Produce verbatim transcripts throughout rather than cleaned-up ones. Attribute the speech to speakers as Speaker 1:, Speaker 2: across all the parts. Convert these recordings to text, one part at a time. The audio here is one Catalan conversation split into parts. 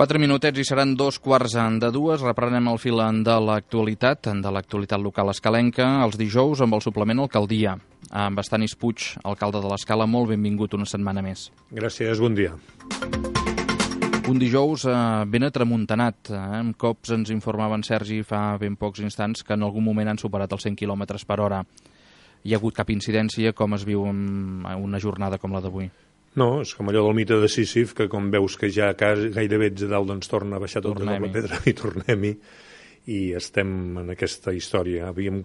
Speaker 1: Quatre minutets i seran dos quarts de dues. Reprenem el fil de l'actualitat, de l'actualitat local escalenca, els dijous amb el suplement Alcaldia. Amb Estanis Puig, alcalde de l'Escala, molt benvingut una setmana més.
Speaker 2: Gràcies, bon dia.
Speaker 1: Un dijous eh, ben atramuntanat. Eh? Amb cops ens informava en Sergi fa ben pocs instants que en algun moment han superat els cent quilòmetres per hora. Hi ha hagut cap incidència? Com es viu en una jornada com la d'avui?
Speaker 2: No, és com allò del mite de Sísif, que com veus que ja gairebé ets a dalt, doncs torna a baixar tot de la pedra i tornem-hi. I estem en aquesta història. Havíem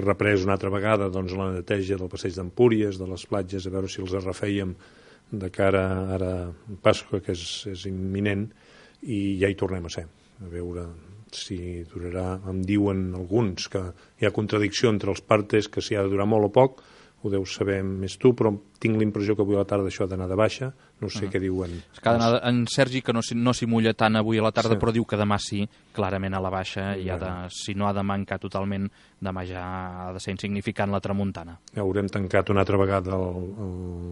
Speaker 2: reprès una altra vegada doncs, la neteja del passeig d'Empúries, de les platges, a veure si els refèiem de cara ara a Pasqua, que és, és imminent, i ja hi tornem a ser. A veure si durarà. Em diuen alguns que hi ha contradicció entre els partes, que si ha de durar molt o poc, ho deus saber més tu, però tinc la impressió que avui a la tarda això ha d'anar de baixa, no sé uh -huh. què diuen.
Speaker 1: És que ha d'anar, en Sergi, que no s'hi no mulla tant avui a la tarda, sí. Però diu que demà sí, clarament a la baixa, i ha de, si no ha de mancar totalment, demà ja ha de ser insignificant la tramuntana.
Speaker 2: Haurem tancat una altra vegada el,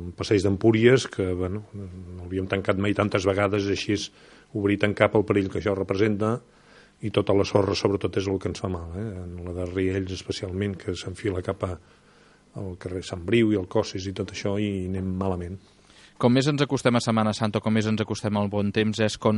Speaker 2: el passeig d'Empúries, que bueno, no l'havíem tancat mai tantes vegades, així és obrir i tancar pel perill que això representa, i tota la sorra sobretot és el que ens fa mal, eh? La de Riells especialment, que s'enfila cap a al carrer Sant Briu i el Cossis i tot això, i anem malament.
Speaker 1: Com més ens acostem a Setmana Santa, com més ens acostem al bon temps, és com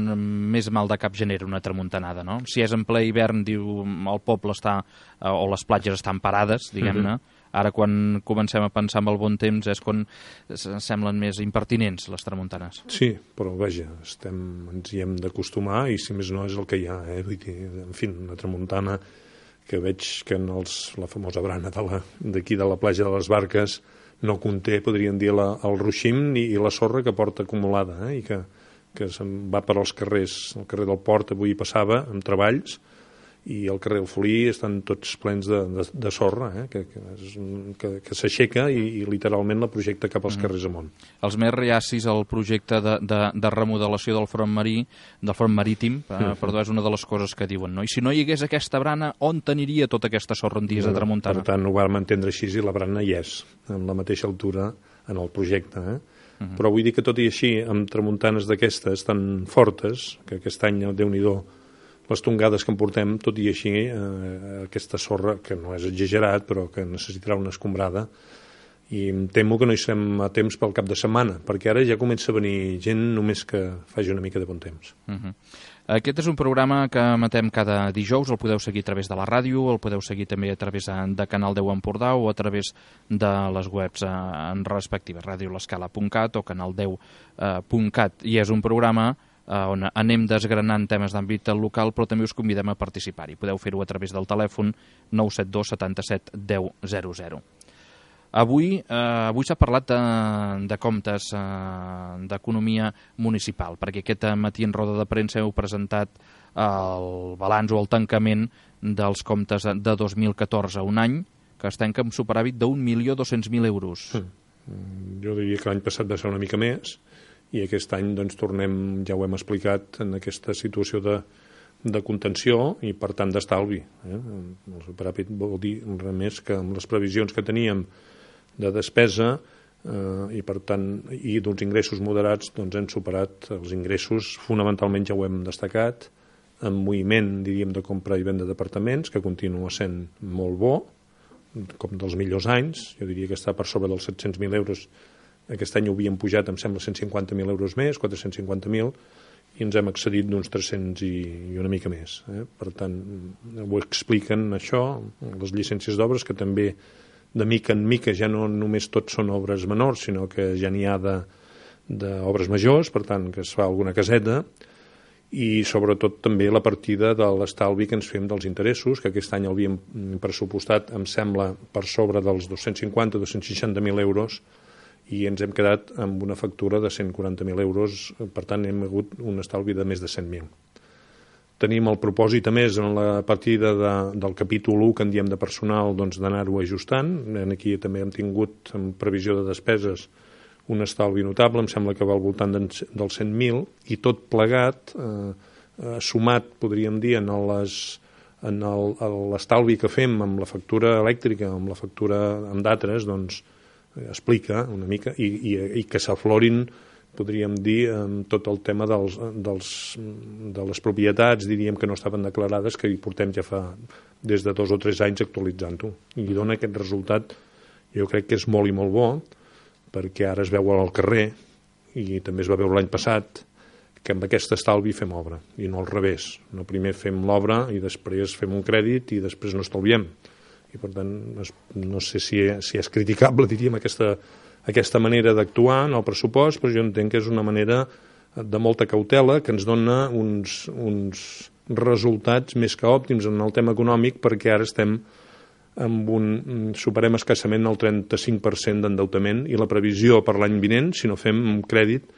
Speaker 1: més mal de cap genera una tramuntanada, no? Si és en ple hivern, diu, el poble està, o les platges estan parades, diguem-ne. Mm-hmm. Ara, quan comencem a pensar en el bon temps, és quan semblen més impertinents les tramuntanes.
Speaker 2: Sí, però vaja, estem, ens hi hem d'acostumar, i si més no és el que hi ha, eh? Vull dir, en fi, una tramuntana que veig que en els, la famosa brana d'aquí de, de la platja de les Barques no conté, podríem dir, la, el ruixim i, i la sorra que porta acumulada, eh? I que, que se'n va per als carrers. El carrer del Port avui passava amb treballs, i el carrer del Folí estan tots plens de, de, de sorra, eh? que, que, que, que s'aixeca i, i literalment la projecta cap als mm. carrers amunt.
Speaker 1: Els més reacis al projecte de, de, de remodelació del front marí, del front marítim, eh, mm. perdó, és una de les coses que diuen, no? I si no hi hagués aquesta brana, on t'aniria tota aquesta sorra en dies no, de tramuntana?
Speaker 2: Per tant, ho vam entendre així, i la brana hi és, en la mateixa altura en el projecte, eh? Mm. Però vull dir que tot i així, amb tramuntanes d'aquestes tan fortes, que aquest any, Déu-n'hi-do, les tongades que en portem, tot i així, eh, aquesta sorra, que no és exagerat, però que necessitarà una escombrada, i em temo que no hi serem a temps pel cap de setmana, perquè ara ja comença a venir gent només que faci una mica de bon temps.
Speaker 1: Uh-huh. Aquest és un programa que emetem cada dijous, el podeu seguir a través de la ràdio, el podeu seguir també a través de Canal deu Empordà o a través de les webs en respectives, ràdio l'escala punt cat o canal deu punt cat, i és un programa on anem desgranant temes d'àmbit local, però també us convidem a participar-hi. Podeu fer-ho a través del telèfon nou set dos setanta-set deu zero zero. Avui, eh, avui s'ha parlat de, de comptes eh, d'economia municipal, perquè aquest matí en roda de premsa heu presentat el balanç o el tancament dels comptes de dos mil catorze, un any que es tanca amb superàvit d'un milió dos-cents mil euros.
Speaker 2: Mm. Jo diria que l'any passat va ser una mica més, i aquest any doncs, tornem, ja ho hem explicat, en aquesta situació de, de contenció i, per tant, d'estalvi. Eh? El superàvit vol dir res més que amb les previsions que teníem de despesa eh, i, per tant, i d'uns ingressos moderats, doncs hem superat els ingressos, fonamentalment ja ho hem destacat, amb moviment, diríem, de compra i venda d'apartaments, que continua sent molt bo, com dels millors anys. Jo diria que està per sobre dels set-cents mil euros. Aquest any ho havíem pujat, em sembla, cent cinquanta mil euros més, quatre-cents cinquanta mil, i ens hem excedit d'uns tres-cents i, i una mica més. Eh? Per tant, ho expliquen això, les llicències d'obres, que també de mica en mica ja no només tot són obres menors, sinó que ja n'hi ha d'obres majors, per tant, que es fa alguna caseta, i sobretot també la partida de l'estalvi que ens fem dels interessos, que aquest any havíem pressupostat, em sembla, per sobre dels dos-cents cinquanta a dos-cents seixanta mil euros, i ens hem quedat amb una factura de cent quaranta mil euros, per tant hem hagut un estalvi de més de cent mil. Tenim el propòsit, a més, en la partida de, del capítol u que en diem de personal, doncs, d'anar-ho ajustant. Aquí també hem tingut, en previsió de despeses, un estalvi notable, em sembla que va al voltant dels cent mil, i tot plegat, eh, sumat, podríem dir, en les... en l'estalvi que fem amb la factura elèctrica, amb la factura amb d'altres, doncs, explica una mica, i, i, i que s'aflorin podríem dir, amb tot el tema dels, dels, de les propietats, diríem que no estaven declarades, que hi portem ja fa des de dos o tres anys actualitzant-ho. I dona aquest resultat, jo crec que és molt i molt bo, perquè ara es veu al carrer, i també es va veure l'any passat, que amb aquest estalvi fem obra, i no al revés. No primer fem l'obra i després fem un crèdit i després no estalviem. I per tant, no sé si, si és criticable, diríem, aquesta, aquesta manera d'actuar en el pressupost, però jo entenc que és una manera de molta cautela que ens dona uns, uns resultats més que òptims en el tema econòmic, perquè ara estem amb un, superem escassament el trenta-cinc per cent d'endeutament i la previsió per l'any vinent, si no fem un crèdit,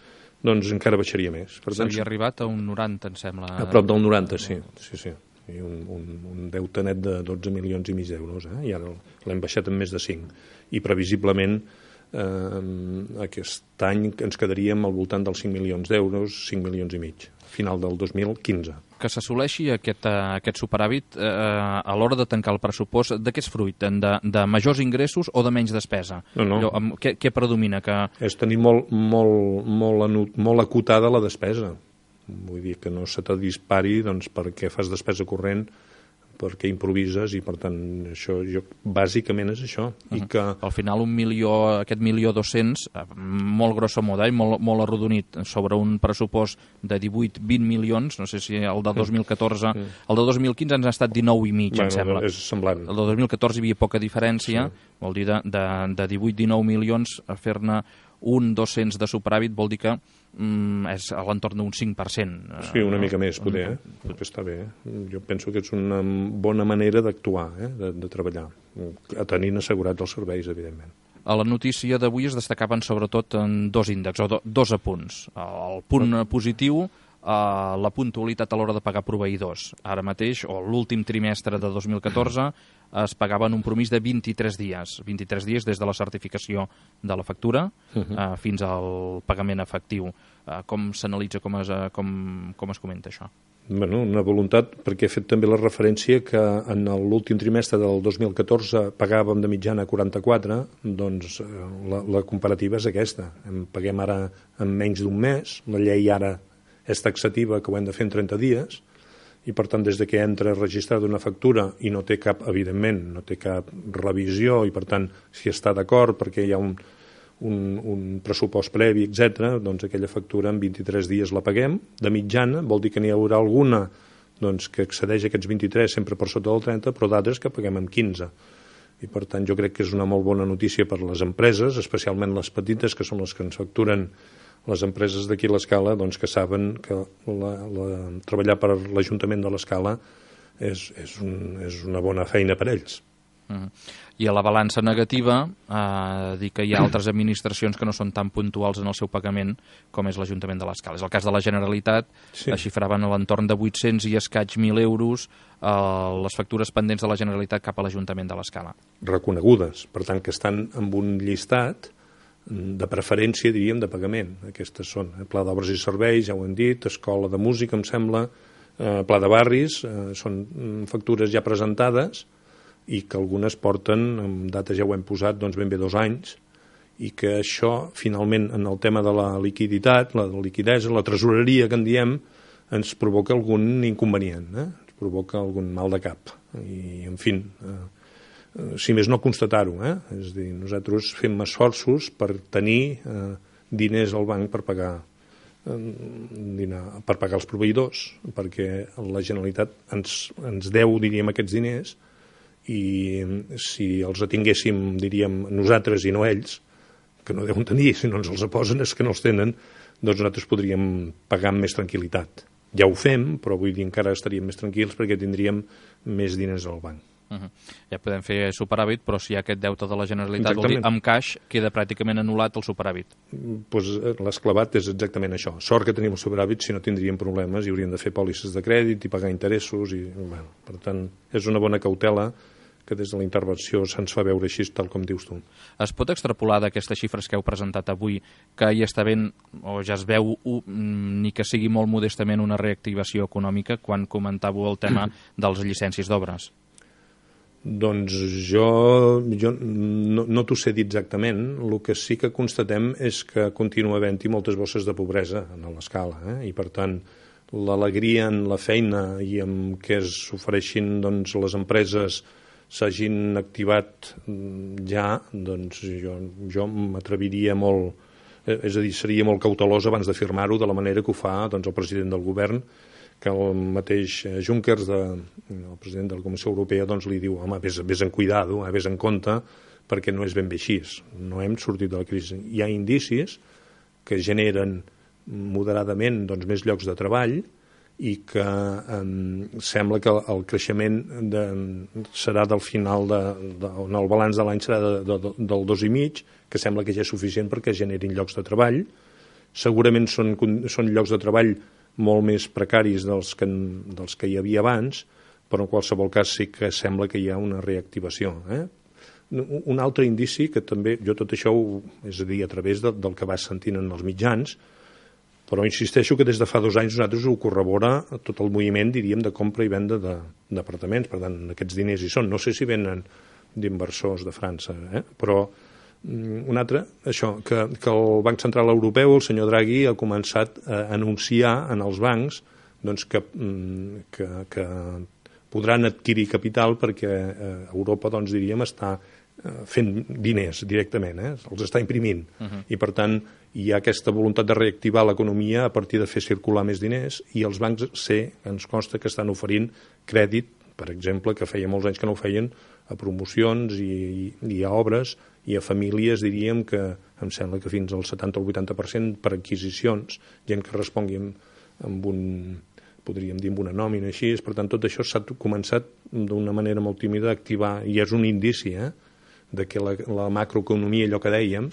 Speaker 2: doncs encara baixaria més.
Speaker 1: S'havia arribat a un noranta, em sembla.
Speaker 2: A prop del noranta, sí. sí, sí. I un, un, un deute net de dotze milions i mig d'euros, eh? I ara l'hem baixat en més de cinc. I previsiblement eh, aquest any ens quedaríem al voltant dels cinc milions d'euros, cinc milions i mig, final del dos mil quinze.
Speaker 1: Que s'assoleixi aquest, aquest superàvit eh, a l'hora de tancar el pressupost, de què és fruit? De, de majors ingressos o de menys despesa?
Speaker 2: No, no.
Speaker 1: Allò, què, què predomina? Que...
Speaker 2: És tenir molt, molt, molt, molt acotada la despesa. Vull dir que no se te dispari doncs, perquè fas despesa corrent, perquè improvises, i per tant això jo, bàsicament és això.
Speaker 1: Uh-huh.
Speaker 2: I que...
Speaker 1: Al final un milió, aquest milió dos-cents, molt grosso modo, eh, molt, molt arrodonit, sobre un pressupost de divuit vint milions, no sé si el de dos mil catorze, uh-huh. el de dos mil quinze ens ha estat dinou i mig, bueno, em sembla.
Speaker 2: És semblant.
Speaker 1: El de dos mil catorze hi havia poca diferència, sí. Vol dir de, de, de divuit dinou milions a fer-ne un dos-cents de superàvit vol dir que mm, és a l'entorn d'un cinc per cent.
Speaker 2: Sí, una mica més, poder, eh? Potser està bé. Eh? Jo penso que és una bona manera d'actuar, eh? de, de treballar, tenint assegurats els serveis, evidentment.
Speaker 1: A la notícia d'avui es destacaven sobretot en dos índexs, o do, dos apunts. El punt positiu, Uh, la puntualitat a l'hora de pagar proveïdors. Ara mateix, o l'últim trimestre de dos mil catorze, es pagaven un promís de vint-i-tres dies. vint-i-tres dies des de la certificació de la factura uh -huh. uh, fins al pagament efectiu. Uh, com s'analitza, com, es, uh, com, com es comenta això?
Speaker 2: Bueno, una voluntat, perquè he fet també la referència que en l'últim trimestre del dos mil catorze pagàvem de mitjana quaranta-quatre, doncs la, la comparativa és aquesta. En paguem ara en menys d'un mes, la llei ara és taxativa, que ho hem de fer en trenta dies, i per tant des de que entra registrada una factura i no té cap, evidentment, no té cap revisió, i per tant si està d'acord perquè hi ha un, un, un pressupost previ, etcètera, doncs aquella factura en vint-i-tres dies la paguem, de mitjana, vol dir que n'hi haurà alguna doncs, que excedeix aquests vint-i-tres sempre per sota del trenta, però d'altres que paguem en quinze. I per tant jo crec que és una molt bona notícia per les empreses, especialment les petites, que són les que ens facturen les empreses d'aquí a l'Escala, doncs, que saben que la, la, treballar per l'Ajuntament de l'Escala és, és, un, és una bona feina per ells.
Speaker 1: Uh-huh. I a la balança negativa, eh, dir que hi ha altres administracions que no són tan puntuals en el seu pagament com és l'Ajuntament de l'Escala. És el cas de la Generalitat, sí. Es xifraven a l'entorn de vuit-cents i escaig mil euros eh, les factures pendents de la Generalitat cap a l'Ajuntament de l'Escala.
Speaker 2: Reconegudes, per tant que estan amb un llistat de preferència, diríem, de pagament. Aquestes són eh, Pla d'Obres i Serveis, ja ho hem dit, Escola de Música, em sembla, eh, Pla de Barris, eh, són factures ja presentades i que algunes porten, amb data ja ho hem posat, doncs ben bé dos anys, i que això, finalment, en el tema de la liquiditat, la liquidesa, la tresoreria, que en diem, ens provoca algun inconvenient, eh? Ens provoca algun mal de cap. I, en fi, eh, si més no constatar-ho, eh? És a dir, nosaltres fem esforços per tenir eh, diners al banc per pagar, eh, dinar, per pagar els proveïdors, perquè la Generalitat ens, ens deu, diríem, aquests diners, i si els atinguéssim, diríem, nosaltres i no ells, que no deuen tenir, si no ens els posen és que no els tenen, doncs nosaltres podríem pagar amb més tranquil·litat. Ja ho fem, però vull dir, encara estaríem més tranquils perquè tindríem més diners al banc.
Speaker 1: Uh-huh. Ja podem fer superàvit, però si hi ha aquest deute de la Generalitat, vol dir, amb caix queda pràcticament anul·lat el superàvit.
Speaker 2: Pues l'esclavat és exactament això. Sort que tenim el superàvit, si no tindríem problemes i hauríem de fer pòlisses de crèdit i pagar interessos. I, bueno, per tant, és una bona cautela que des de la intervenció se'ns fa veure així, tal com dius tu.
Speaker 1: Es pot extrapolar d'aquestes xifres que heu presentat avui que hi està ben, o ja es veu, ni que sigui molt modestament, una reactivació econòmica quan comentàveu el tema dels llicències d'obres?
Speaker 2: Doncs jo, jo no, no t'ho sé dir exactament. El que sí que constatem és que continua havent-hi moltes bosses de pobresa a l'escala, eh? I per tant l'alegria en la feina i en què s'ofereixin doncs, les empreses s'hagin activat ja, doncs jo, jo m'atreviria molt, és a dir, seria molt cautelós abans de firmar-ho de la manera que ho fa doncs, el president del govern, que el mateix Juncker, de, el president de la Comissió Europea, doncs li diu, home, vés, vés en cuidado, eh, vés en compte, perquè no és ben bé així. No hem sortit de la crisi. Hi ha indicis que generen moderadament doncs, més llocs de treball i que eh, sembla que el creixement de, serà del final, de, de, on el balanç de l'any serà de, de, del dos i mig, que sembla que ja és suficient perquè generin llocs de treball. Segurament són, són llocs de treball molt més precaris dels que, dels que hi havia abans, però en qualsevol cas sí que sembla que hi ha una reactivació. Eh? Un altre indici que també, jo tot això, ho, és a dir, a través de, del que vas sentint en els mitjans, però insisteixo que des de fa dos anys nosaltres ho corrobora tot el moviment, diríem, de compra i venda d'apartaments. Per tant, aquests diners hi són. No sé si venen d'inversors de França, eh? Però un altre, això, que, que el Banc Central Europeu, el senyor Draghi, ha començat a anunciar en els bancs doncs, que, que, que podran adquirir capital perquè Europa, doncs, diríem, està fent diners directament, eh? Els està imprimint. Uh-huh. I, per tant, hi ha aquesta voluntat de reactivar l'economia a partir de fer circular més diners i els bancs sé, ens consta que estan oferint crèdit, per exemple, que feia molts anys que no ho feien, a promocions i, i, i a obres i a famílies, diríem, que em sembla que fins al setanta o vuitanta per cent per adquisicions, gent que respongui amb, amb un, podríem dir, amb una nòmina així. Per tant, tot això s'ha començat d'una manera molt tímida a activar, i és un indici, eh, de que la, la macroeconomia, allò que dèiem,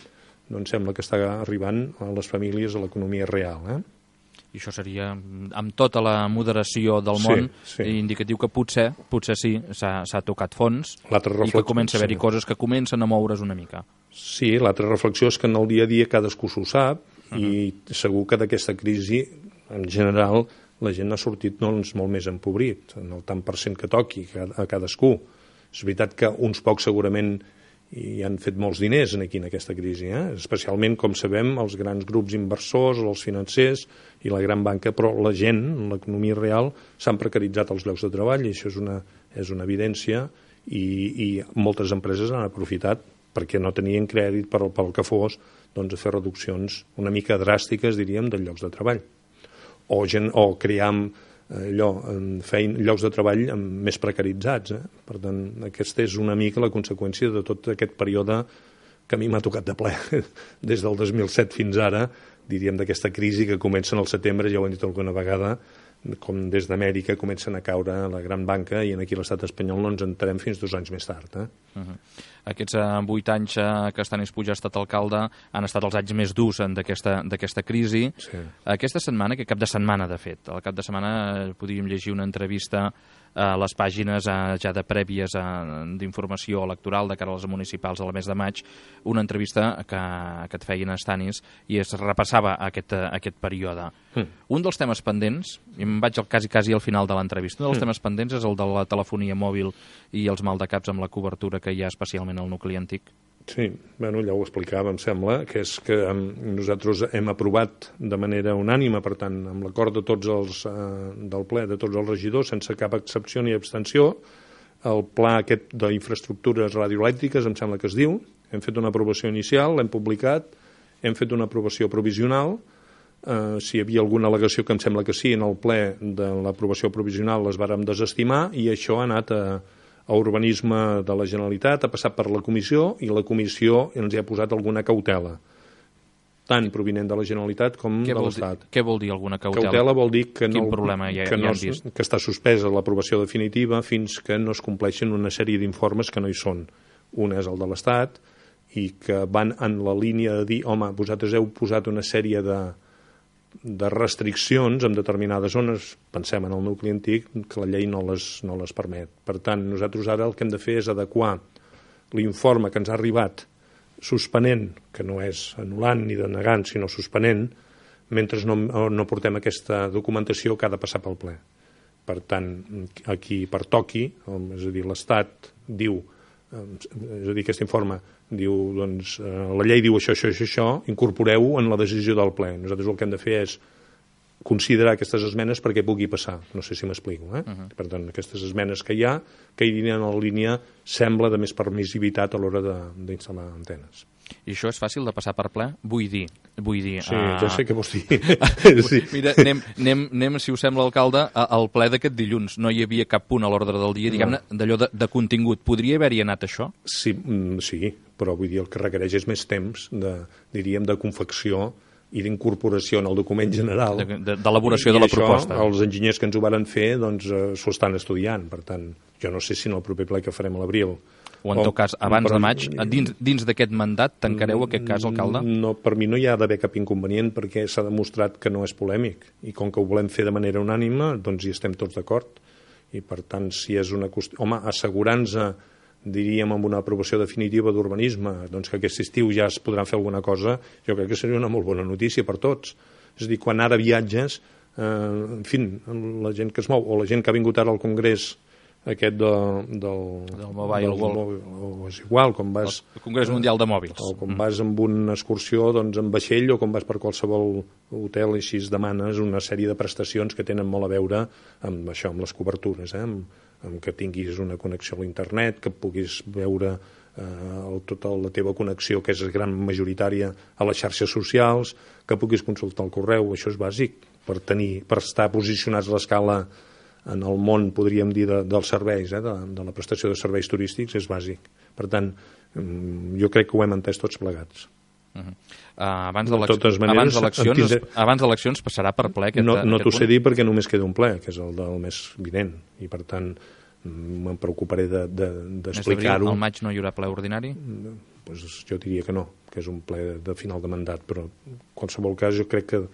Speaker 2: doncs sembla que està arribant a les famílies, a l'economia real, eh?
Speaker 1: I això seria, amb tota la moderació del món, sí, sí. indicatiu que potser potser sí, s'ha tocat fons i que comença a haver-hi sí. coses que comencen a moure's una mica.
Speaker 2: Sí, l'altra reflexió és que en el dia a dia cadascú s'ho sap, uh-huh. i segur que d'aquesta crisi, en general, la gent ha sortit doncs, molt més empobrit, en el tant per cent que toqui a cadascú. És veritat que uns pocs segurament i han fet molts diners aquí en aquesta crisi, eh? Especialment, com sabem, els grans grups inversors, els financers i la gran banca, però la gent, l'economia real, s'han precaritzat els llocs de treball i això és una, és una evidència i, i moltes empreses han aprofitat perquè no tenien crèdit per, pel que fos, doncs a fer reduccions una mica dràstiques, diríem, de llocs de treball. O, gent, o crear allò, feien llocs de treball més precaritzats. Eh? Per tant, aquesta és una mica la conseqüència de tot aquest període que a mi m'ha tocat de ple des del dos mil set fins ara, diríem, d'aquesta crisi que comença al setembre, ja ho hem dit alguna vegada, com des d'Amèrica comencen a caure la gran banca i aquí a l'estat espanyol no ens enterem fins dos anys més tard. Eh?
Speaker 1: Uh-huh. Aquests uh, vuit anys uh, que Stanis Puig ha estat alcalde han estat els anys més durs d'aquesta crisi. Sí. Aquesta setmana, que cap de setmana, de fet, al cap de setmana uh, podríem llegir una entrevista a les pàgines uh, ja de prèvies uh, d'informació electoral de cara a les municipals al mes de maig, una entrevista que, que et feien a Stanis i es repassava aquest, uh, aquest període. Mm. Un dels temes pendents, i em vaig al, quasi, quasi al final de l'entrevista, un dels mm. temes pendents és el de la telefonia mòbil i els maldecaps amb la cobertura que hi ha especialment al nucli antic.
Speaker 2: Sí, bueno, ja ho explicava, em sembla, que és que um, nosaltres hem aprovat de manera unànima, per tant, amb l'acord de tots els uh, del ple, de tots els regidors, sense cap excepció ni abstenció, el pla aquest d'infraestructures radioelèctriques, em sembla que es diu, hem fet una aprovació inicial, l'hem publicat, hem fet una aprovació provisional, uh, si hi havia alguna al·legació, que em sembla que sí, en el ple de l'aprovació provisional les vàrem desestimar i això ha anat a a urbanisme de la Generalitat, ha passat per la comissió i la comissió ens hi ha posat alguna cautela, tant provinent de la Generalitat com
Speaker 1: què
Speaker 2: de l'Estat.
Speaker 1: Què vol dir alguna cautela?
Speaker 2: Cautela vol dir que,
Speaker 1: Quin
Speaker 2: no,
Speaker 1: problema ja,
Speaker 2: que, no,
Speaker 1: ja vist?
Speaker 2: que està suspesa l'aprovació definitiva fins que no es compleixen una sèrie d'informes que no hi són. Un és el de l'Estat i que van en la línia de dir, home, vosaltres heu posat una sèrie de de restriccions en determinades zones, pensem en el nucli antic, que la llei no les, no les permet. Per tant, nosaltres ara el que hem de fer és adequar l'informe que ens ha arribat suspenent, que no és anul·lant ni denegant, sinó suspenent, mentre no, no portem aquesta documentació que ha de passar pel ple. Per tant, aquí per toqui, és a dir, l'Estat diu, és a dir, aquest informe diu, doncs, la llei diu això, això, això, això, incorporeu en la decisió del ple. Nosaltres el que hem de fer és considerar aquestes esmenes perquè pugui passar. No sé si m'explico. Eh? Uh -huh. Per tant, aquestes esmenes que hi ha, que hi en la línia, sembla de més permissivitat a l'hora d'instal·lar antenes.
Speaker 1: I això és fàcil de passar per ple? Vull dir... Vull dir
Speaker 2: sí, uh... ja sé què vols dir.
Speaker 1: sí. Mira, anem, anem, anem, si us sembla, alcalde, al ple d'aquest dilluns. No hi havia cap punt a l'ordre del dia, diguem-ne, no. d'allò de, de contingut. Podria haver-hi anat això?
Speaker 2: Sí, sí, però vull dir, el que requereix és més temps, de, diríem, de confecció i d'incorporació en el document general.
Speaker 1: D'elaboració de, de, de la
Speaker 2: això,
Speaker 1: proposta.
Speaker 2: Els enginyers que ens ho varen fer doncs, eh, s'ho estan estudiant. Per tant, jo no sé si en el proper ple que farem a l'abril
Speaker 1: o en tot cas, abans de maig, dins, dins d'aquest mandat, tancareu aquest cas, alcalde?
Speaker 2: No, per mi no hi ha d'haver cap inconvenient perquè s'ha demostrat que no és polèmic i com que ho volem fer de manera unànime, doncs hi estem tots d'acord. I per tant, si és una qüestió... Home, assegurant-nos, diríem, amb una aprovació definitiva d'urbanisme, doncs que aquest estiu ja es podran fer alguna cosa, jo crec que seria una molt bona notícia per tots. És a dir, quan ara viatges, eh, en fi, la gent que es mou, o la gent que ha vingut ara al Congrés aquest de, del,
Speaker 1: del Mobile World,
Speaker 2: o és igual, com vas...
Speaker 1: El Congrés Mundial de Mòbils.
Speaker 2: O com vas amb una excursió doncs, en vaixell o com vas per qualsevol hotel i així es demanes una sèrie de prestacions que tenen molt a veure amb això, amb les cobertures, eh? amb, amb que tinguis una connexió a l'internet, que puguis veure eh, tota la teva connexió, que és gran majoritària, a les xarxes socials, que puguis consultar el correu, això és bàsic per tenir, per estar posicionats a l'escala en el món, podríem dir, de, dels serveis, eh, de, de la prestació de serveis turístics, és bàsic. Per tant, jo crec que ho hem entès tots plegats.
Speaker 1: Uh -huh. uh, abans d'eleccions abans d'eleccions passarà per ple aquest,
Speaker 2: no, no
Speaker 1: aquest
Speaker 2: t'ho sé dir perquè només queda un ple, que és el del més vinent, i per tant me'n preocuparé d'explicar-ho.
Speaker 1: De, de, al maig no hi haurà ple ordinari?
Speaker 2: Pues jo diria que no, que és un ple de final de mandat, però en qualsevol cas jo crec que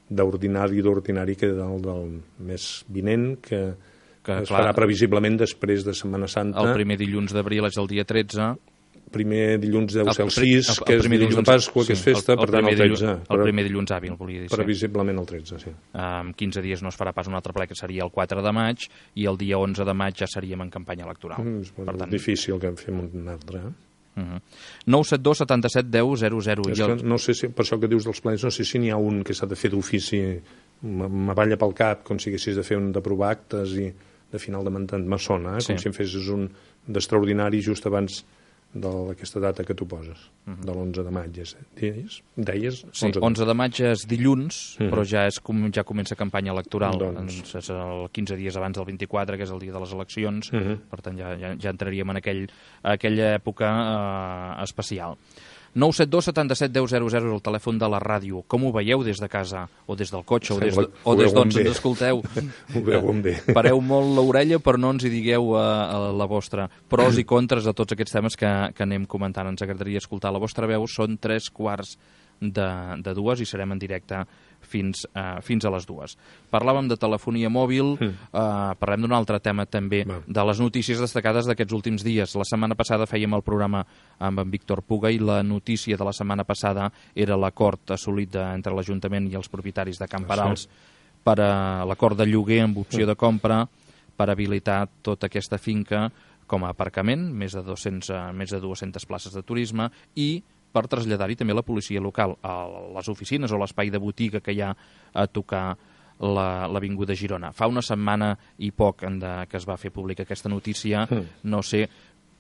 Speaker 2: d'ordinari d'ordinari que del, del mes vinent, que, que es clar, farà previsiblement després de Setmana Santa.
Speaker 1: El primer dilluns d'abril és el dia tretze.
Speaker 2: Primer dilluns deu ser el sis, el, el, que és dilluns, dilluns de Pasqua, sí, que és festa, el, el per tant el tretze.
Speaker 1: Dilluns, el primer dilluns hàbil, volia dir.
Speaker 2: Previsiblement el tretze, sí.
Speaker 1: En quinze dies no es farà pas un altre ple, que seria el quatre de maig, i el dia onze de maig ja seríem en campanya electoral.
Speaker 2: Mm, és per tant, difícil que en fem un altre, eh?
Speaker 1: Uh-huh. nou set dos setanta-set deu zero zero.
Speaker 2: És que no sé si, per això que dius dels plens, no sé si n'hi ha un que s'ha de fer d'ofici, m'avalla pel cap, com si haguessis de fer un d'aprovar actes i de final de mandat, me sona, eh? Sí. Com si em fessis un d'extraordinari just abans d'aquesta data que tu poses, uh-huh. de l'onze de maig, deies? Deies?
Speaker 1: Sí, onze de maig és dilluns, uh-huh. però ja és com ja comença campanya electoral, doncs... és el quinze dies abans del vint-i-quatre, que és el dia de les eleccions, uh-huh. per tant ja, ja, ja entraríem en aquell, aquella època eh, especial. nou set dos setanta-set deu zero zero és el telèfon de la ràdio. Com ho veieu des de casa, o des del cotxe, o des, de, o des d'on ens escolteu?
Speaker 2: Ho veuen bé.
Speaker 1: Pareu molt l'orella, però no ens hi digueu a, a la vostra. Pros i contres de tots aquests temes que, que anem comentant. Ens agradaria escoltar la vostra veu. Són tres quarts de, de dues i serem en directe fins, uh, fins a les dues. Parlàvem de telefonia mòbil, mm. uh, parlem d'un altre tema també, Va. de les notícies destacades d'aquests últims dies. La setmana passada fèiem el programa amb en Víctor Puga i la notícia de la setmana passada era l'acord assolit de, entre l'Ajuntament i els propietaris de Can Parals per a l'acord de lloguer amb opció de compra per habilitar tota aquesta finca com a aparcament, més de, dos-cents, uh, més de dues-centes places de turisme, i per traslladar-hi també la policia local a les oficines o l'espai de botiga que hi ha a tocar l'Avinguda Girona. Fa una setmana i poc de, que es va fer pública aquesta notícia, mm. no sé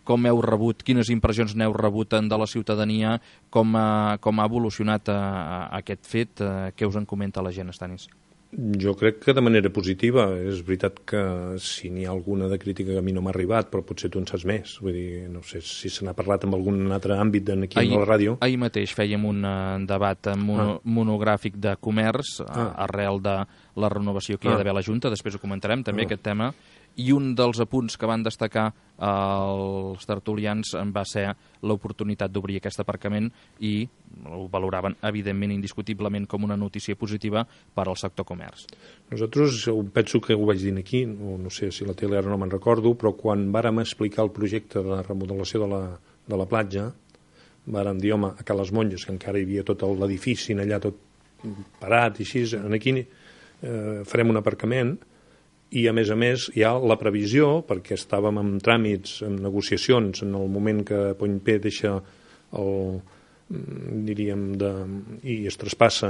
Speaker 1: com heu rebut, quines impressions n'heu rebut de la ciutadania, com ha, com ha evolucionat a, a aquest fet, a, què us en comenta la gent, Estanis?
Speaker 2: Jo crec que de manera positiva. És veritat que si n'hi ha alguna de crítica que a mi no m'ha arribat, però potser tu en saps més. Vull dir, no sé si se n'ha parlat en algun altre àmbit aquí ahir, a la ràdio.
Speaker 1: Ahir mateix fèiem un uh, debat mono, ah. monogràfic de comerç ah. arrel de la renovació que hi ha d'haver a la Junta, després ho comentarem també ah. aquest tema, i un dels apunts que van destacar els tertulians va ser l'oportunitat d'obrir aquest aparcament i ho valoraven evidentment indiscutiblement com una notícia positiva per al sector comerç.
Speaker 2: Nosaltres penso que ho vaig dir aquí, no, no sé si la tele ara no me'n recordo, però quan vàrem explicar el projecte de remodelació de la, de la platja vàrem dir, home, a Cales Monges, que encara hi havia tot l'edifici allà tot parat i així, aquí eh, farem un aparcament I, a més a més, hi ha la previsió, perquè estàvem en tràmits, en negociacions, en el moment que Point P deixa el, diríem, de, i es traspassa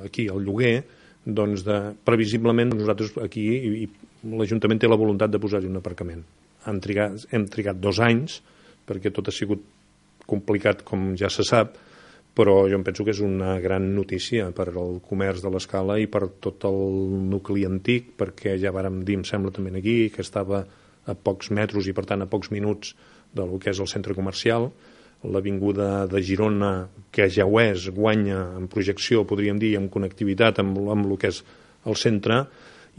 Speaker 2: aquí el lloguer, doncs de, previsiblement nosaltres aquí i, i l'Ajuntament té la voluntat de posar-hi un aparcament. Hem trigat, hem trigat dos anys, perquè tot ha sigut complicat, com ja se sap, però jo em penso que és una gran notícia per al comerç de l'Escala i per tot el nucli antic, perquè ja vàrem dir, em sembla també aquí, que estava a pocs metres i per tant a pocs minuts del que és el centre comercial. L'avinguda de Girona, que ja ho és, guanya en projecció, podríem dir, en connectivitat amb, amb el que és el centre,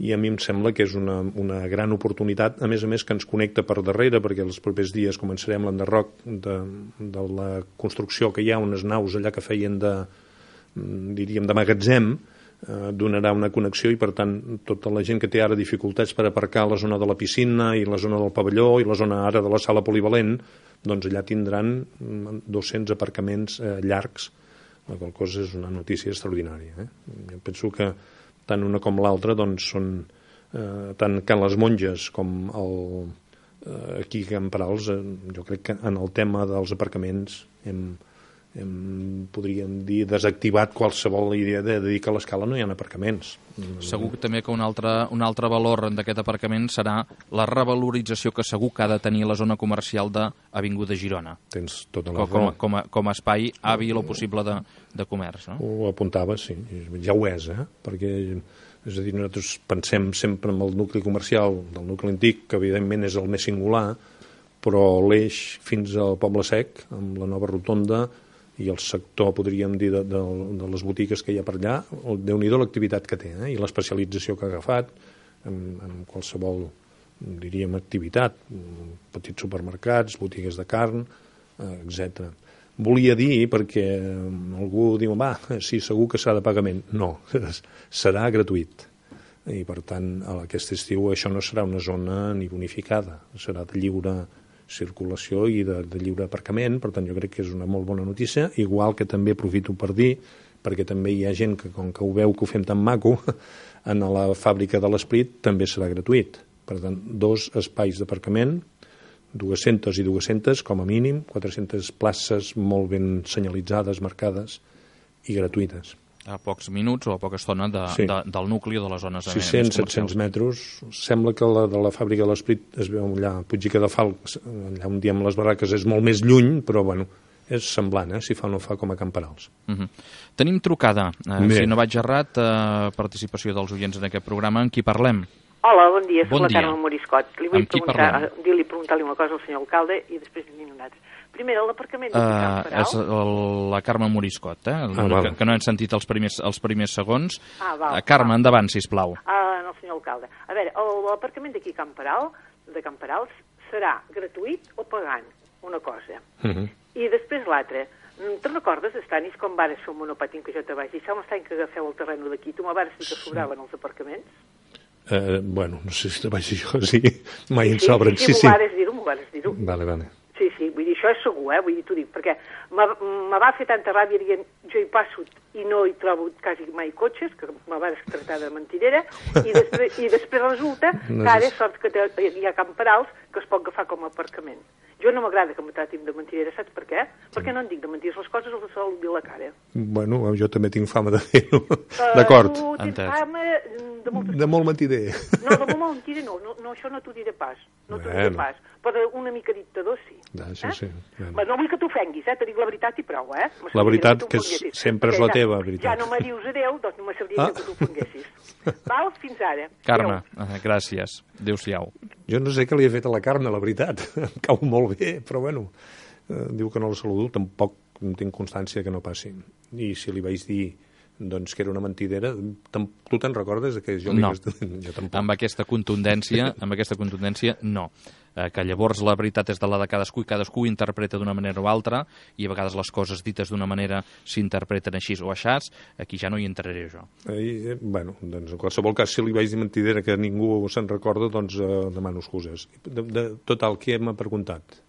Speaker 2: i a mi em sembla que és una, una gran oportunitat, a més a més que ens connecta per darrere, perquè els propers dies començarem l'enderroc de, de la construcció que hi ha, unes naus allà que feien de, diríem, de magatzem, eh, donarà una connexió i per tant tota la gent que té ara dificultats per aparcar a la zona de la piscina i la zona del pavelló i la zona ara de la sala polivalent, doncs allà tindran dos-cents aparcaments eh, llargs, la qual cosa és una notícia extraordinària. Eh? Jo penso que tant una com l'altra doncs són eh, tant Can les Monges com el, eh, aquí a Can Perals, eh, jo crec que en el tema dels aparcaments hem, hem, podríem dir, desactivat qualsevol idea de dir que a l'Escala no hi ha aparcaments.
Speaker 1: Segur que també que un altre, un altre valor d'aquest aparcament serà la revalorització que segur que ha de tenir la zona comercial d'Avinguda Girona.
Speaker 2: Tens tota la
Speaker 1: com, com, a, com a espai hàbil o possible de, de comerç, no?
Speaker 2: Ho apuntava, sí, ja ho és, eh? Perquè, és a dir, nosaltres pensem sempre en el nucli comercial del nucli antic, que evidentment és el més singular, però l'eix fins al Poble Sec, amb la nova rotonda, i el sector, podríem dir, de, de, de les botigues que hi ha per allà, Déu-n'hi-do l'activitat que té, eh? I l'especialització que ha agafat en, en qualsevol, diríem, activitat, petits supermercats, botigues de carn, eh, etcètera. Volia dir, perquè algú diu, va, sí, segur que serà de pagament. No, serà gratuït. I, per tant, aquest estiu això no serà una zona ni bonificada, serà de lliure circulació i de, de lliure aparcament, per tant jo crec que és una molt bona notícia, igual que també aprofito per dir, perquè també hi ha gent que com que ho veu que ho fem tan maco, en la fàbrica de l'Esprit també serà gratuït. Per tant, dos espais d'aparcament, dues-centes i dues-centes com a mínim, quatre-centes places molt ben senyalitzades, marcades i gratuïtes.
Speaker 1: A pocs minuts o a poca estona de, sí. de, del nucli o de les zones
Speaker 2: sis-cents a set-cents metres. Sembla que la de la fàbrica de l'Esprit es veu allà a Puigdica de Falc, allà on diem les barraques és molt més lluny, però bueno, és semblant, eh, si fa o no fa com a Can Perals.
Speaker 1: Uh -huh. Tenim trucada, eh, si no vaig errat, eh, participació dels oients en aquest programa. En qui parlem?
Speaker 3: Hola, bon dia, soc
Speaker 1: bon
Speaker 3: la
Speaker 1: dia.
Speaker 3: Carme Moriscot. Li vull
Speaker 1: Amb qui
Speaker 3: preguntar,
Speaker 1: parlem?
Speaker 3: dir-li preguntar-li una cosa al senyor alcalde i després dir-li un altre. Primer, l'aparcament de
Speaker 1: Uh,
Speaker 3: Can Perals.
Speaker 1: és el, la Carme Moriscot, eh?
Speaker 2: Ah,
Speaker 1: que,
Speaker 2: val.
Speaker 1: que no hem sentit els primers, els primers segons.
Speaker 3: Ah, val,
Speaker 1: Uh, Carme,
Speaker 3: val.
Speaker 1: endavant, sisplau.
Speaker 3: Ah, no, senyor alcalde. A veure, el- l'aparcament d'aquí a Can Peral, de Can Perals, serà gratuït o pagant? Una cosa.
Speaker 2: Uh -huh.
Speaker 3: I després l'altre. Mm, Te'n recordes, Estanis, com vares fer un monopàtin que jo te vaig dir? Això m'estany que agafeu el terreno d'aquí. Tu me vares dir que sobraven els aparcaments?
Speaker 2: Eh, bueno, no sé si te vaig dir jo, sí, mai en
Speaker 3: Sí,
Speaker 2: sobren.
Speaker 3: sí,
Speaker 2: Sí,
Speaker 3: sí,
Speaker 2: sí.
Speaker 3: m'ho vares dir-ho, m'ho vares dir-ho.
Speaker 2: Vale, vale.
Speaker 3: Sí, sí, vull dir, això és segur, eh? Vull dir, t'ho dic, perquè me, me va fer tanta ràbia dient jo hi passo i no hi trobo quasi mai cotxes, que me vas tractar de mentidera, i després, i després resulta
Speaker 2: No
Speaker 3: que ara
Speaker 2: és-
Speaker 3: és sort que té, hi ha Can Perals que es pot agafar com a aparcament. Jo no m'agrada que me tratin de mentidera, saps per què? Perquè no en dic de mentides, les coses els sol dir la cara.
Speaker 2: Bueno, jo també tinc fama de fer-ho.
Speaker 3: Uh,
Speaker 2: D'acord.
Speaker 3: Tu tens
Speaker 1: Entès.
Speaker 3: fama de moltes
Speaker 2: De molt mentider.
Speaker 3: No, de molt mentida no, no, no, això no t'ho diré pas, no t'ho diré
Speaker 2: Bueno.
Speaker 3: pas, però una mica dictador sí.
Speaker 2: Ah, sí,
Speaker 3: eh?
Speaker 2: sí, bueno.
Speaker 3: Bueno, no vull que t'ofenguis, eh? Te dic la veritat i prou, eh? Me
Speaker 2: La
Speaker 3: serviria
Speaker 2: veritat
Speaker 3: tu
Speaker 2: que és-
Speaker 3: ofenguessis,
Speaker 2: sempre és
Speaker 3: perquè
Speaker 2: la
Speaker 3: ja-
Speaker 2: teva veritat.
Speaker 3: Ja no me dius adeu, doncs no me serviria
Speaker 2: Ah.
Speaker 3: que t'ofenguessis. Val? Fins ara.
Speaker 1: Carme,
Speaker 3: Adéu.
Speaker 1: eh, gràcies. Adéu-siau.
Speaker 2: Jo no sé què li he fet a la Carme, la veritat. Em cau molt bé, però bueno, eh, diu que no la saludo, tampoc tinc constància que no passi. I si li vaig dir doncs que era una mentidera, tam- tu te'n recordes que jo li
Speaker 1: No.
Speaker 2: vaig dir? Jo tampoc.
Speaker 1: Amb aquesta contundència, amb aquesta contundència, no. Eh, que llavors la veritat és de la de cadascú i cadascú ho interpreta d'una manera o altra i a vegades les coses dites d'una manera s'interpreten així o aixàs, aquí ja no hi entraré jo.
Speaker 2: Eh, eh, bueno, doncs en qualsevol cas, si li vaig dir mentidera que ningú se'n recorda, doncs eh, demano excuses. De, de, total, què m'ha preguntat?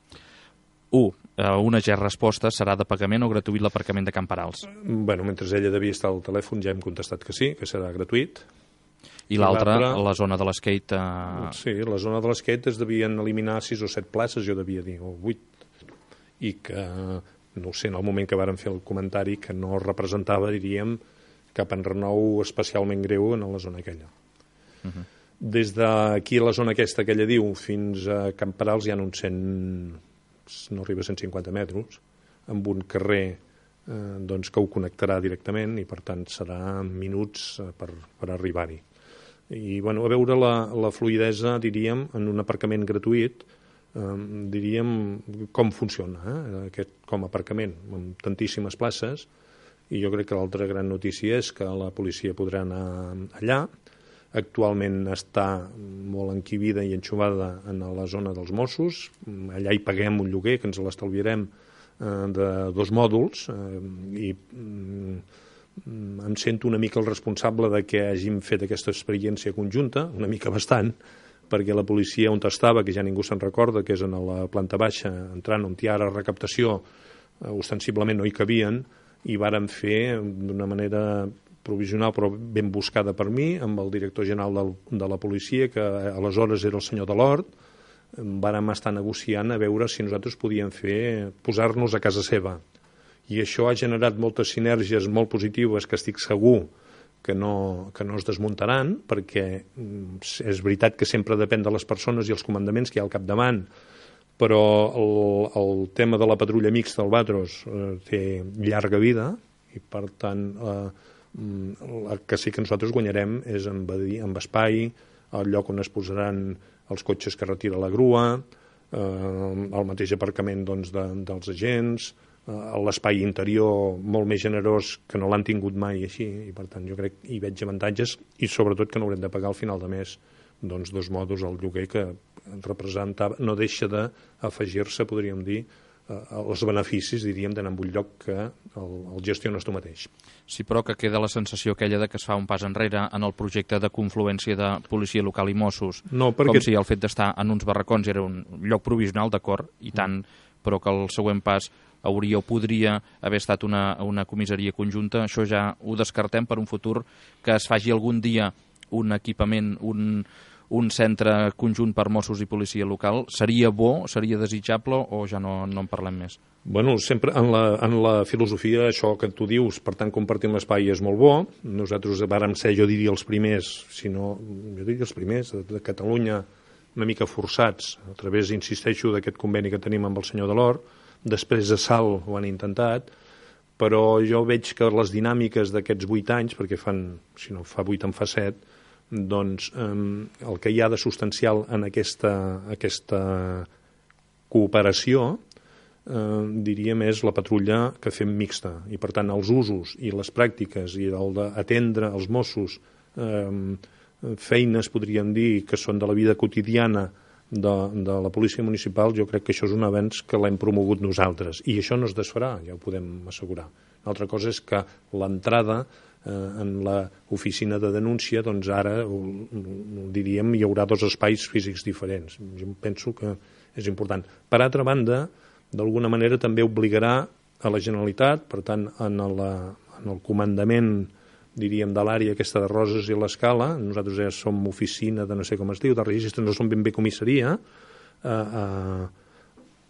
Speaker 1: un. Eh, una ja resposta serà de pagament o gratuït l'aparcament de Can Perals.
Speaker 2: Bueno, mentre ella devia estar al telèfon ja hem contestat que sí, que serà gratuït.
Speaker 1: I l'altra, la zona de l'skate... Eh...
Speaker 2: Sí, la zona de l'skate es devien eliminar sis o set places, jo devia dir, o vuit, i que, no ho sé, en el moment que varen fer el comentari, que no representava, diríem, cap enrenou especialment greu en la zona aquella. Uh -huh. Des d'aquí a la zona aquesta que ella diu fins a Camperals hi ha uns cent, no arriba a cent cinquanta metres, amb un carrer eh, doncs, que ho connectarà directament i per tant serà minuts eh, per, per arribar-hi. I bueno, a veure la, la fluidesa, diríem, en un aparcament gratuït, eh, diríem com funciona eh, aquest com a aparcament, amb tantíssimes places, i jo crec que l'altra gran notícia és que la policia podrà anar allà. Actualment està molt enquibida i enxuvada en la zona dels Mossos, allà hi paguem un lloguer que ens l'estalviarem eh, de dos mòduls eh, i mm, em sento una mica el responsable de que hàgim fet aquesta experiència conjunta, una mica bastant, perquè la policia on estava, que ja ningú se'n recorda, que és en la planta baixa, entrant on hi ha ara recaptació, eh, ostensiblement no hi cabien, i vàrem fer d'una manera provisional però ben buscada per mi, amb el director general del, de la policia, que aleshores era el senyor Delort, vàrem estar negociant a veure si nosaltres podíem fer, posar-nos a casa seva. I això ha generat moltes sinergies molt positives que estic segur que no, que no es desmuntaran, perquè és veritat que sempre depèn de les persones i els comandaments que hi ha al capdavant, però el, el tema de la patrulla mixta al Batros eh, té llarga vida i per tant eh, el que sí que nosaltres guanyarem és en, en espai, el lloc on es posaran els cotxes que retira la grua, eh, el mateix aparcament doncs, de, dels agents, eh, l'espai interior molt més generós que no l'han tingut mai així, i per tant jo crec que hi veig avantatges i sobretot que no haurem de pagar al final de mes doncs, dos mòduls al lloguer que representava, no deixa d'afegir-se, podríem dir, els beneficis, diríem, d'anar en un lloc que el, el gestiones tu mateix.
Speaker 1: Sí, però que queda la sensació aquella de que es fa un pas enrere en el projecte de confluència de policia local i Mossos,
Speaker 2: no, perquè...
Speaker 1: com si el fet d'estar en uns barracons era un lloc provisional, d'acord, i tant, però que el següent pas hauria o podria haver estat una, una comissaria conjunta, això ja ho descartem per un futur que es faci algun dia un equipament, un... un centre conjunt per Mossos i policia local, seria bo, seria desitjable o ja no, no en parlem més?
Speaker 2: Bueno, sempre en la, en la filosofia, això que tu dius, per tant, compartir l'espai és molt bo. Nosaltres vàrem ser, jo diria, els primers, si no, jo diria els primers de, de Catalunya, una mica forçats, a través, insisteixo, d'aquest conveni que tenim amb el senyor Delort. Després de Salt ho han intentat, però jo veig que les dinàmiques d'aquests vuit anys, perquè fan, si no fa vuit en fa set, doncs eh, el que hi ha de substancial en aquesta, aquesta cooperació eh, diríem és la patrulla que fem mixta i per tant els usos i les pràctiques i el d'atendre els Mossos eh, feines podríem dir que són de la vida quotidiana de, de la policia municipal, jo crec que això és un avenç que l'hem promogut nosaltres i això no es desfarà, ja ho podem assegurar. Una altra cosa és que l'entrada en l'oficina de denúncia, doncs ara, diríem, hi haurà dos espais físics diferents. Jo penso que és important. Per altra banda, d'alguna manera també obligarà a la Generalitat, per tant, en, la, en el comandament, diríem, de l'àrea aquesta de Roses i l'Escala, nosaltres ja som oficina de no sé com es diu, de registres, no som ben bé comissaria, a, a,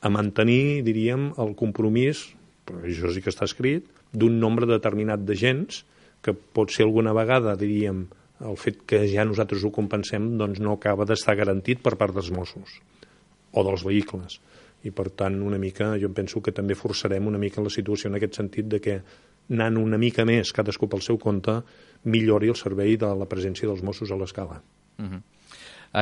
Speaker 2: a mantenir, diríem, el compromís, però això sí que està escrit, d'un nombre determinat d'agents que pot ser alguna vegada, diríem, el fet que ja nosaltres ho compensem doncs no acaba d'estar garantit per part dels Mossos o dels vehicles. I per tant, una mica, jo penso que també forçarem una mica la situació en aquest sentit de que anant una mica més, cadascú pel seu compte, millori el servei de la presència dels Mossos a l'Escala.
Speaker 1: Uh-huh.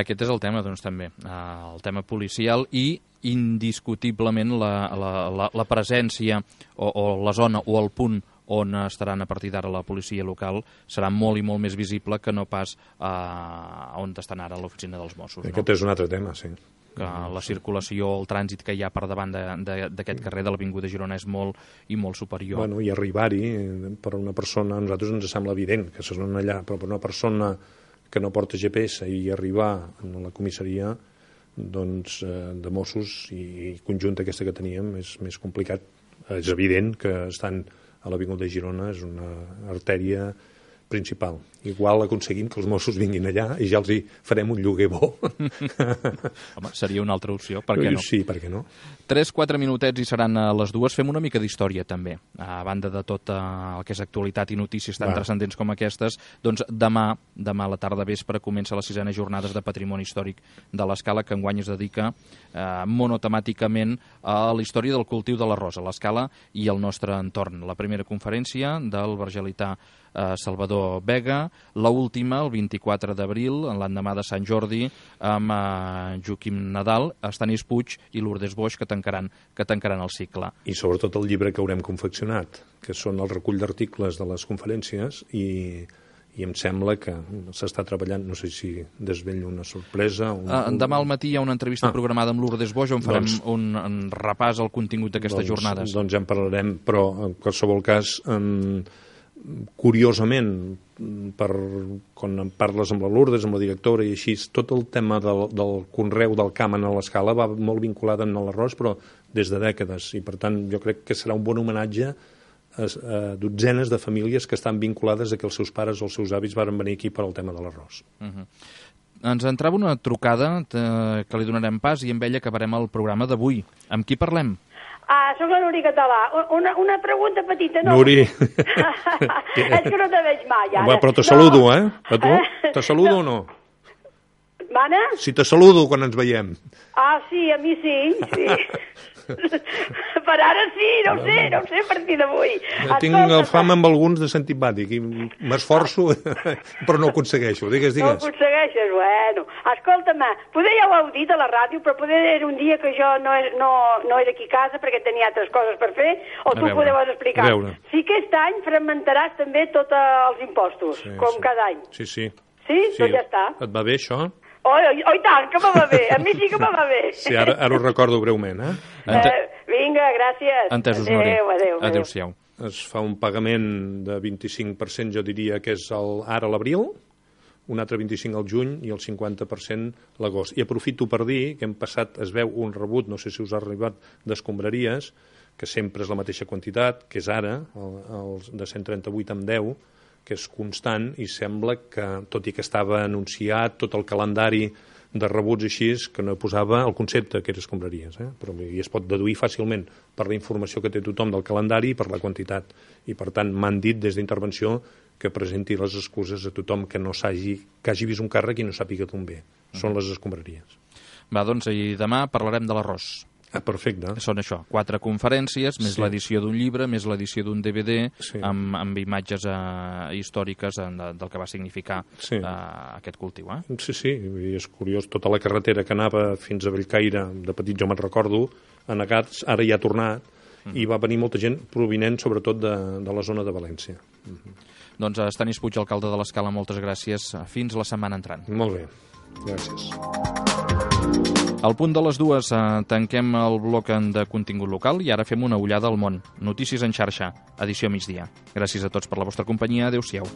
Speaker 1: Aquest és el tema, doncs, també, el tema policial i indiscutiblement la, la, la, la presència o, o la zona o el punt on estaran a partir d'ara la policia local serà molt i molt més visible que no pas eh, on estan ara l'oficina dels Mossos.
Speaker 2: Aquest
Speaker 1: no?
Speaker 2: és un altre tema, sí.
Speaker 1: Que la circulació, el trànsit que hi ha per davant d'aquest carrer de l'Avinguda Girona és molt i molt superior.
Speaker 2: Bueno, i arribar-hi per una persona, a nosaltres ens sembla evident que són allà, però per una persona que no porta G P S i arribar a la comissaria doncs, de Mossos i conjunta aquesta que teníem és més complicat. És evident que estan a l'Avinguda Girona, és una artèria principal. Igual aconseguim que els Mossos vinguin allà i ja els hi farem un lloguer bo.
Speaker 1: Home, seria una altra opció, per què no?
Speaker 2: Sí, per què no?
Speaker 1: tres quatre minutets i seran a les dues. Fem una mica d'història, també. A banda de tot el que és actualitat i notícies tan Va. transcendents com aquestes, doncs demà, demà a la tarda vespre, comença les sisena jornades de Patrimoni Històric de l'Escala, que enguany es dedica eh, monotemàticament a la història del cultiu de l'arròs a l'Escala i al nostre entorn. La primera conferència del vergelità eh, Salvador Vega, la última, el vint-i-quatre d'abril, l'endemà de Sant Jordi, amb eh, Joaquim Nadal, Estanis Puig i Lourdes Boix, que tancaran, que tancaran el cicle.
Speaker 2: I sobretot el llibre que haurem confeccionat, que són el recull d'articles de les conferències, i, i em sembla que s'està treballant, no sé si desvello una sorpresa... Un,
Speaker 1: uh, demà al matí hi ha una entrevista ah. programada amb Lourdes Boix, on farem doncs, un, un repàs al contingut d'aquestes
Speaker 2: doncs,
Speaker 1: jornades.
Speaker 2: Doncs ja en parlarem, però en qualsevol cas... Um, curiosament, per, quan em parles amb la Lourdes, amb la directora i així, tot el tema del, del conreu del camp a l'Escala va molt vinculat amb l'arròs, però des de dècades, i per tant jo crec que serà un bon homenatge a, a dotzenes de famílies que estan vinculades a que els seus pares o els seus avis van venir aquí per al tema de l'arròs.
Speaker 1: Uh-huh. Ens entrava una trucada eh, que li donarem pas i amb ella acabarem el programa d'avui. Amb qui parlem?
Speaker 4: Ah, soc la Nuri Català. Una, una pregunta petita, no?
Speaker 2: Nuri.
Speaker 4: És que no te veig mai, ara.
Speaker 2: Va, però te saludo, no. eh? A tu? Te saludo o no?
Speaker 4: Mana?
Speaker 2: Si te saludo quan ens veiem.
Speaker 4: Ah, sí, a mi sí, sí. Per ara sí, no ho sé, no ho sé a partir d'avui.
Speaker 2: Tinc el fam amb alguns de antipàtic i m'esforço, però no ho aconsegueixo. Digues, digues.
Speaker 4: No ho aconsegueixes, bueno. Escolta'm, poder ja ho heu dit a la ràdio, però poder era un dia que jo no, no, no era aquí a casa perquè tenia altres coses per fer, o tu ho podeu explicar. Si aquest any fragmentaràs també tots els impostos, sí, com
Speaker 2: sí.
Speaker 4: cada any.
Speaker 2: Sí, sí.
Speaker 4: Sí? sí? Doncs ja està.
Speaker 2: Et va bé, això?
Speaker 4: Oh, oh, oh, i tant, que me va bé. A mi sí que me va bé.
Speaker 2: Sí, ara, ara ho recordo breument, eh?
Speaker 4: Ente... eh vinga, gràcies.
Speaker 1: Entesos, Nuri.
Speaker 4: Adéu, adéu.
Speaker 1: Adéu-siau.
Speaker 2: Es fa un pagament de vint-i-cinc per cent, jo diria que és el, ara l'abril, un altre vint-i-cinc al juny i el cinquanta per cent l'agost. I aprofito per dir que hem passat, es veu un rebut, no sé si us ha arribat, d'escombraries, que sempre és la mateixa quantitat, que és ara, el, el de cent trenta-vuit amb deu, que és constant, i sembla que, tot i que estava anunciat tot el calendari de rebuts així, que no posava el concepte que era escombraries, eh? Però i es pot deduir fàcilment per la informació que té tothom del calendari i per la quantitat. I per tant m'han dit des d'intervenció que presenti les excuses a tothom que no s'hagi, que hagi vist un càrrec i no sàpiga d'on ve. Són les escombraries.
Speaker 1: Va, doncs, i demà parlarem de l'arròs.
Speaker 2: Ah, perfecte.
Speaker 1: Són això, quatre conferències, més sí. l'edició d'un llibre, més l'edició d'un D V D, sí. amb, amb imatges eh, històriques eh, del que va significar sí. eh, aquest cultiu. Eh?
Speaker 2: Sí, sí, i és curiós, tota la carretera que anava fins a Bellcaire, de petit jo me'n recordo, a Negats, ara ja ha tornat, mm. i va venir molta gent provinent sobretot de, de la zona de València. Mm-hmm.
Speaker 1: Doncs Estanis Puig, alcalde de l'Escala, moltes gràcies. Fins la setmana entrant.
Speaker 2: Molt bé, gràcies.
Speaker 1: Al punt de les dues eh, tanquem el bloc de contingut local i ara fem una ullada al món. Notícies en xarxa, edició migdia. Gràcies a tots per la vostra companyia. Adéu-siau.